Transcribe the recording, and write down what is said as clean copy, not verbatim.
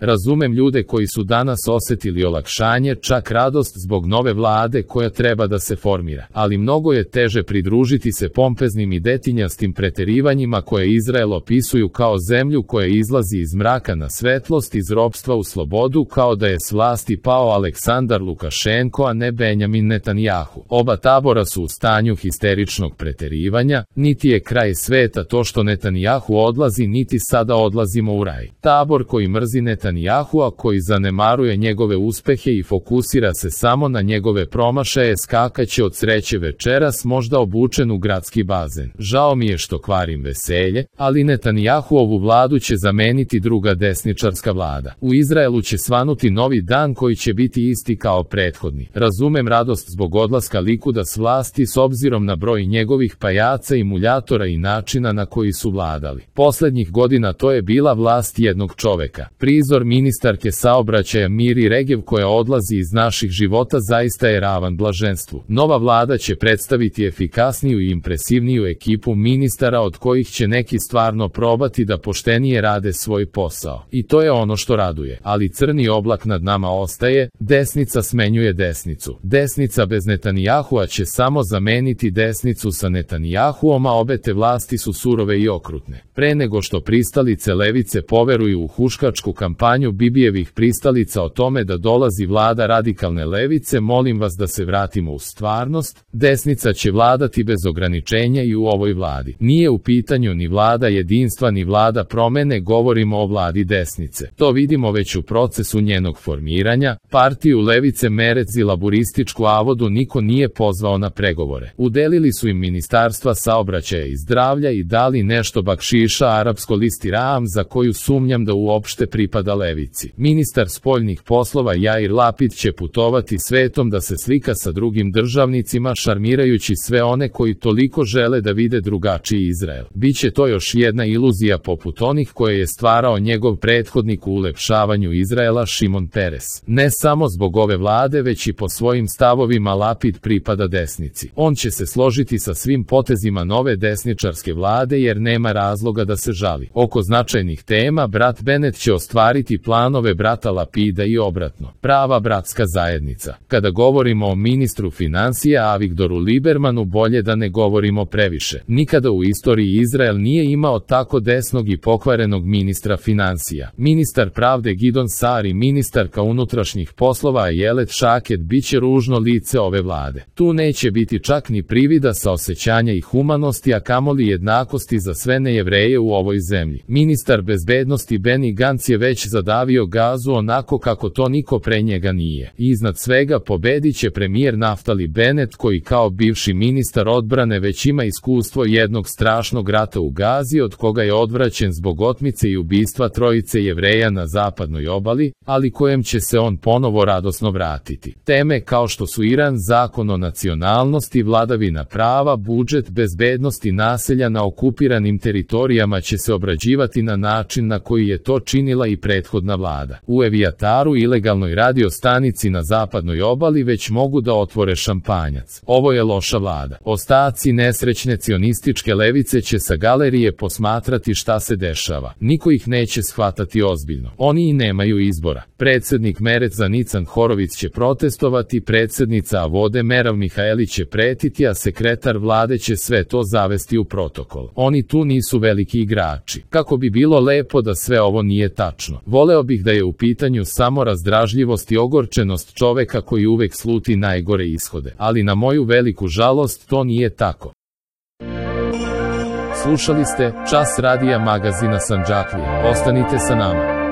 Razumem ljude koji su danas osjetili olakšanje, čak radost zbog nove vlade koja treba da se formira, ali mnogo je teže pridružiti se pompeznim i detinjastim preterivanjima koje Izrael opisuju kao zemlju koja izlazi iz mraka na svetlost, iz ropstva u slobodu, kao da je s vlasti pao Aleksandar Lukašenko, a ne Benjamin Netanjahu. Oba tabora su u stanju histeričnog preterivanja, niti je kraj sveta to što Netanjahu odlazi, niti sada odlazimo u raj. Tabor koji mrzi Netanjahua, koji zanemaruje njegove uspehe i fokusira se samo na njegove promašaje, skakaće od sreće večeras, možda obučen u gradski bazen. Žao mi je što kvarim veselje, ali Netanjahuovu vladu će zameniti druga desničarska vlada. U Izraelu će svanuti novi dan koji će biti isti kao prethodni. Razumem radost zbog odlaska Likuda s vlasti s obzirom na broj njegovih pajaca i muljatora i načina na koji su vladali. Poslednjih godina to je bila vlast jednog čoveka. Prizor ministarke saobraćaja Miri Regev koja odlazi iz naših života zaista je ravan blaženstvu. Nova vlada će predstaviti efikasniju i impresivniju ekipu ministara od kojih će neki stvarno probati da poštenije rade svoj posao. I to je ono što raduje. Ali crni oblak nad nama ostaje, desnica smenjuje desnicu. Desnica bez Netanjahua će samo zameniti desnicu sa Netanjahuom, a obe te vlasti su surove i okrutne. Pre nego što pristalice levice poveruju u huškačku kampanju Bibijevih pristalica o tome da dolazi vlada radikalne levice, molim vas da se vratimo u stvarnost. Desnica će vladati bez ograničenja i u ovoj vladi. Nije u pitanju ni vlada jedinstva ni vlada promene, govorimo o vladi desnice. To vidimo već u procesu njenog formiranja. Partiju levice Merec i laburističku Avodu niko nije pozvao na pregovore. Udelili su im ministarstva saobraćaja i zdravlja i dali nešto bakšiša arapsko listi Ram za koju sumnjam da uopšte pripada levici. Ministar spoljnih poslova Jair Lapid će putovati svetom da se slika sa drugim državnicima, šarmirajući sve one koji toliko žele da vide drugačiji Izrael. Biće to još jedna iluzija poput onih koje je stvarao njegov prethodnik u ulepšavanju Izraela Šimon Peres. Ne samo zbog ove vlade, već i po svojim stavovima Lapid pripada desnici. On će se složiti sa svim potezima nove desničarske vlade jer nema razloga da se žali. Oko značajnih tema brat Bennett će ostvariti planove brata Lapida i obratno. Prava bratska zajednica. Kada govorimo o ministru finansija Avigdoru Libermanu, bolje da ne govorimo previše. Nikada u istoriji Izrael nije imao tako desnog i pokvarenog ministra finansija. Ministar pravde Gidon Saar i ministarka unutrašnjih poslova Ayelet Shaked biće ružno lice ove vlade. Tu neće biti čak ni privida saosećanja i humanosti, a kamoli jednakosti za sve nejevreje u ovoj zemlji. Ministar bezbednosti Benny Gantz je već zadavio gazu onako kako to niko pre njega nije. I iznad svega pobedit će premijer Naftali Bennett koji kao bivši ministar odbrane već ima iskustvo jednog strašnog rata u Gazi od koga je odvraćen zbog otmice i ubistva trojice Jevreja na zapadnoj obali, ali kojem će se on ponovo radosno vratiti. Teme kao što su Iran, zakon o nacionalnosti, vladavina prava, budžet, bezbednost i naselja na okupiranim teritorijama će se obrađivati na način na koji je to činila i prethodna vlada. U Evijataru, ilegalnoj radio stanici na zapadnoj obali, već mogu da otvore šampanjac. Ovo je loša vlada. Ostaci nesrećne cionističke levice će sa galerije posmatrati šta se dešava. Niko ih neće shvatati ozbiljno. Oni i nemaju izbora. Predsednik Mereca Nican Horović će protestovati, predsednica Avode Merav Mihaeli će pretiti, a sekretar vlade će sve to zavesti u protokol. Oni tu nisu veliki igrači. Kako bi bilo lepo da sve ovo nije tačno. Voleo bih da je u pitanju samo razdražljivost i ogorčenost čoveka koji uvek sluti najgore ishode. Ali na moju veliku žalost to nije tako. Slušali ste Čas radija magazina Sandžaklije. Ostanite sa nama.